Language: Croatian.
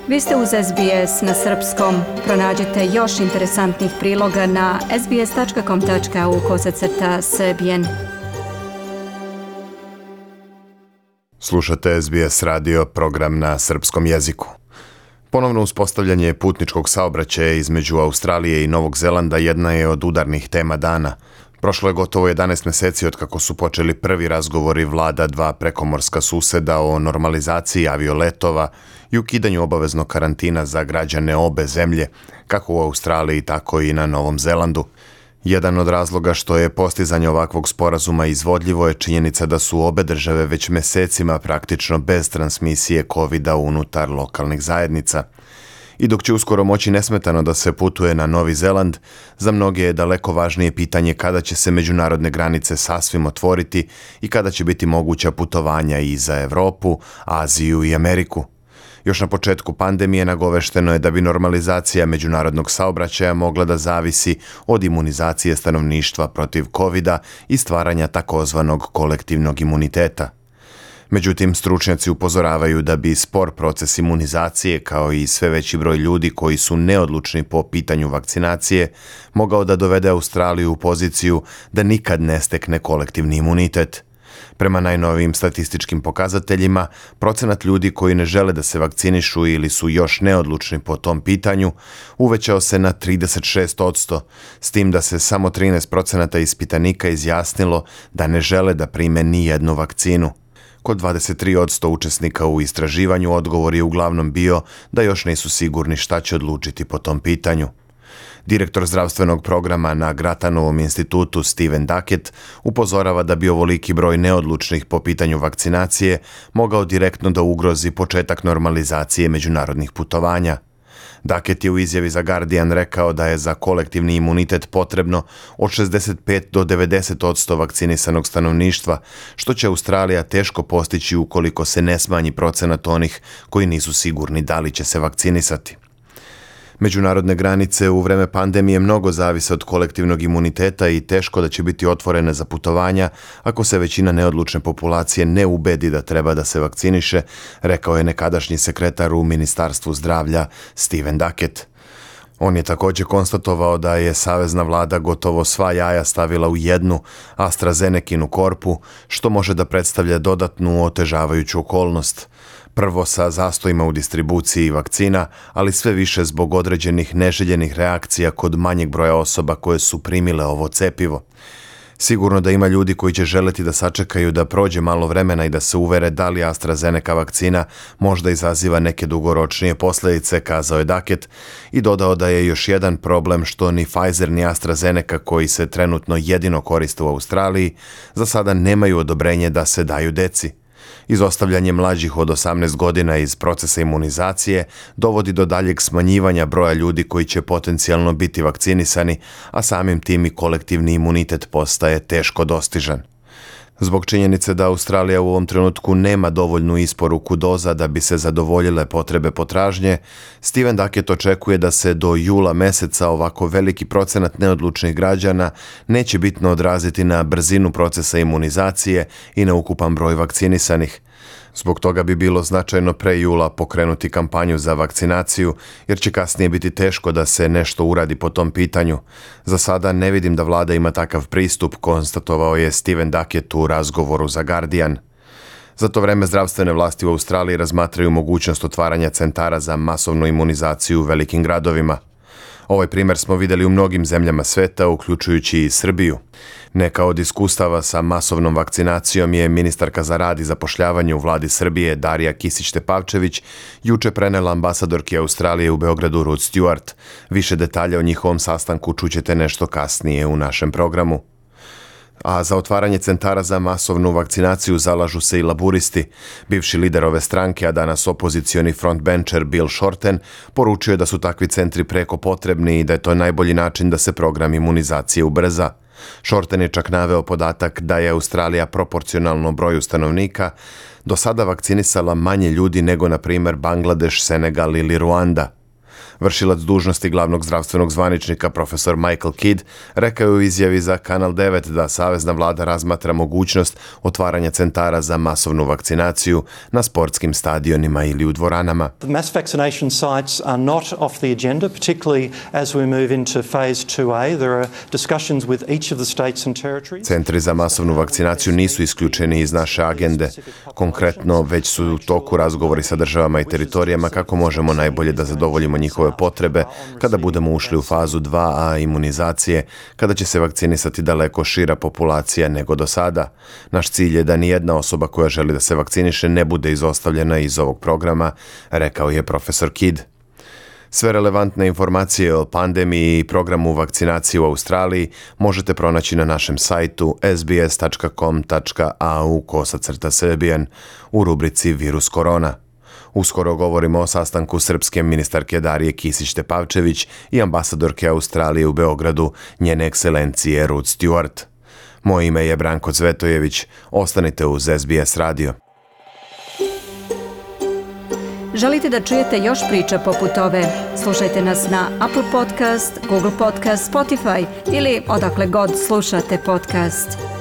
Vi ste uz SBS na srpskom. Pronađite još interesantnih priloga na sbs.com.au/srbijen. Slušate SBS radio, program na srpskom jeziku. Ponovno uspostavljanje putničkog saobraćaja između Australije i Novog Zelanda jedna je od udarnih tema dana. Prošlo je gotovo 11 mjeseci od kako su počeli prvi razgovori vlada dva prekomorska suseda o normalizaciji avioletova i ukidanju obaveznog karantina za građane obe zemlje, kako u Australiji, tako i na Novom Zelandu. Jedan od razloga što je postizanje ovakvog sporazuma izvodljivo je činjenica da su obe države već mjesecima praktično bez transmisije COVID-a unutar lokalnih zajednica. I dok će uskoro moći nesmetano da se putuje na Novi Zeland, za mnoge je daleko važnije pitanje kada će se međunarodne granice sasvim otvoriti i kada će biti moguća putovanja i za Europu, Aziju i Ameriku. Još na početku pandemije nagovešteno je da bi normalizacija međunarodnog saobraćaja mogla da zavisi od imunizacije stanovništva protiv COVID-a i stvaranja takozvanog kolektivnog imuniteta. Međutim, stručnjaci upozoravaju da bi spor proces imunizacije, kao i sve veći broj ljudi koji su neodlučni po pitanju vakcinacije, mogao da dovede Australiju u poziciju da nikad ne stekne kolektivni imunitet. Prema najnovijim statističkim pokazateljima, procenat ljudi koji ne žele da se vakcinišu ili su još neodlučni po tom pitanju uvećao se na 36%, s tim da se samo 13% ispitanika izjasnilo da ne žele da prime ni jednu vakcinu. Kod 23% učesnika u istraživanju odgovor je uglavnom bio da još nisu sigurni šta će odlučiti po tom pitanju. Direktor zdravstvenog programa na Gratanovom institutu Steven Duckett upozorava da bi ovoliki broj neodlučnih po pitanju vakcinacije mogao direktno da ugrozi početak normalizacije međunarodnih putovanja. Duckett je u izjavi za Guardian rekao da je za kolektivni imunitet potrebno od 65 do 90% vakcinisanog stanovništva, što će Australija teško postići ukoliko se ne smanji procenat onih koji nisu sigurni da li će se vakcinisati. Međunarodne granice u vreme pandemije mnogo zavise od kolektivnog imuniteta i teško da će biti otvorene za putovanja ako se većina neodlučne populacije ne ubedi da treba da se vakciniše, rekao je nekadašnji sekretar u Ministarstvu zdravlja Steven Duckett. On je također konstatovao da je savezna vlada gotovo sva jaja stavila u jednu AstraZenekinu korpu, što može da predstavlja dodatnu otežavajuću okolnost. Prvo sa zastojima u distribuciji vakcina, ali sve više zbog određenih neželjenih reakcija kod manjeg broja osoba koje su primile ovo cepivo. Sigurno da ima ljudi koji će želeti da sačekaju da prođe malo vremena i da se uvere da li AstraZeneca vakcina možda izaziva neke dugoročnije posljedice, kazao je Duckett i dodao da je još jedan problem što ni Pfizer ni AstraZeneca, koji se trenutno jedino koriste u Australiji, za sada nemaju odobrenje da se daju deci. Izostavljanje mlađih od 18 godina iz procesa imunizacije dovodi do daljeg smanjivanja broja ljudi koji će potencijalno biti vakcinisani, a samim tim i kolektivni imunitet postaje teško dostižan. Zbog činjenice da Australija u ovom trenutku nema dovoljnu isporuku doza da bi se zadovoljile potrebe potražnje, Steven Duckett očekuje da se do jula meseca ovako veliki procenat neodlučnih građana neće bitno odraziti na brzinu procesa imunizacije i na ukupan broj vakcinisanih. Zbog toga bi bilo značajno pre jula pokrenuti kampanju za vakcinaciju, jer će kasnije biti teško da se nešto uradi po tom pitanju. Za sada ne vidim da vlada ima takav pristup, konstatovao je Steven Duckett u razgovoru za Guardian. Za to vreme zdravstvene vlasti u Australiji razmatraju mogućnost otvaranja centara za masovnu imunizaciju u velikim gradovima. Ovaj primjer smo vidjeli u mnogim zemljama sveta, uključujući i Srbiju. Neka od iskustava sa masovnom vakcinacijom je ministarka za rad i zapošljavanje u vladi Srbije Darija Kisić-Tepavčević juče prenela ambasadorki Australije u Beogradu Ruth Stewart. Više detalja o njihovom sastanku čućete nešto kasnije u našem programu. A za otvaranje centara za masovnu vakcinaciju zalažu se i laburisti. Bivši lider ove stranke, a danas opozicioni frontbencher Bill Shorten, poručio je da su takvi centri preko potrebni i da je to najbolji način da se program imunizacije ubrza. Shorten je čak naveo podatak da je Australija proporcionalno broju stanovnika do sada vakcinisala manje ljudi nego, na primjer, Bangladeš, Senegal ili Ruanda. Vršilac dužnosti glavnog zdravstvenog zvaničnika profesor Michael Kidd rekao je u izjavi za Kanal 9 da savezna vlada razmatra mogućnost otvaranja centara za masovnu vakcinaciju na sportskim stadionima ili u dvoranama. The mass vaccination sites are not off the agenda, particularly as we move into phase 2A. There are discussions with each of the states and territories. Centri za masovnu vakcinaciju nisu isključeni iz naše agende. Konkretno, već su u toku razgovori sa državama i teritorijama kako možemo najbolje da zadovoljimo njihove potrebe kada budemo ušli u fazu 2A imunizacije, kada će se vakcinisati daleko šira populacija nego do sada. Naš cilj je da nijedna osoba koja želi da se vakciniše ne bude izostavljena iz ovog programa, rekao je profesor Kidd. Sve relevantne informacije o pandemiji i programu vakcinacije u Australiji možete pronaći na našem sajtu sbs.com.au/serbian u rubrici Virus korona. Uskoro govorimo o sastanku srpske ministarke Darije Kisić-Tepavčević i ambasadorke Australije u Beogradu, njene ekscelencije Ruth Stewart. Moje ime je Branko Cvetojević. Ostanite uz SBS radio. Želite da čujete još priča poput ove? Slušajte nas na Apple Podcast, Google Podcast, Spotify ili odakle god slušate podcast.